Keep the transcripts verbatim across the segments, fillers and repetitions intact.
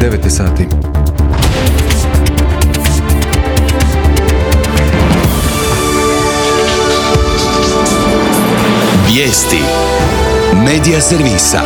devet sati. Vijesti Medija servisa.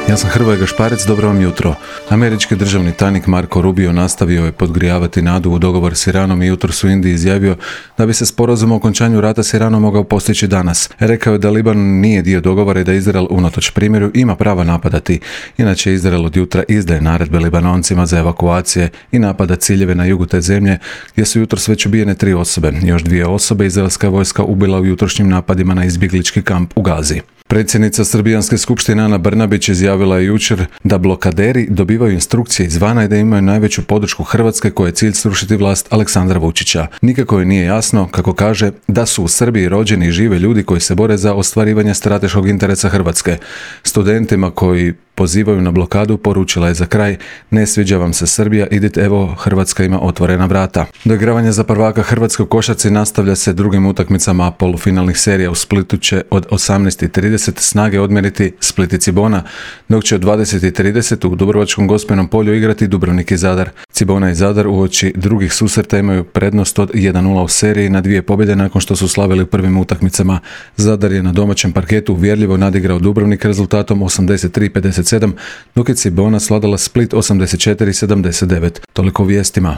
Ja sam Hrvoje Gašparec, dobro vam jutro. Američki državni tajnik Marco Rubio nastavio je podgrijavati nadu u dogovor s Iranom i jutros u Indiji izjavio da bi se sporazum o okončanju rata s Iranom mogao postići danas. Rekao je da Liban nije dio dogovora i da Izrael unatoč primjeru ima pravo napadati. Inače, Izrael od jutra izdaje naredbe Libanoncima za evakuacije i napada ciljeve na jugu te zemlje, gdje su jutros već ubijene tri osobe. Još dvije osobe izraelska vojska ubila u jutrošnjim napadima na izbjeglički kamp u Gazi. Predsjednica Srbijanske skupštine Ana Brnabić izjavila je jučer da blokaderi dobivaju instrukcije izvana i da imaju najveću podršku Hrvatske koja je cilj srušiti vlast Aleksandra Vučića. Nikako joj nije jasno, kako kaže, da su u Srbiji rođeni i žive ljudi koji se bore za ostvarivanje strateškog interesa Hrvatske. Studentima koji pozivaju na blokadu poručila je za kraj: ne sviđa vam se Srbija, idite, evo Hrvatska ima otvorena vrata. Doigravanje za prvaka Hrvatske u košarci nastavlja se drugim utakmicama polufinalnih serija. U Splitu će od osamnaest i trideset Snage odmjeriti Split i Cibona, dok će od dvadeset i trideset u Dubrovačkom Gospinom polju igrati Dubrovnik i Zadar. Cibona i Zadar uoči drugih susreta imaju prednost od jedan nula u seriji na dvije pobjede nakon što su slavili u prvim utakmicama. Zadar je na domaćem parketu uvjerljivo nadigrao Dubrovnik rezultatom osamdeset tri pedeset sedam, dok je Cibona svladala Split osamdeset četiri sedamdeset devet. Toliko o vijestima.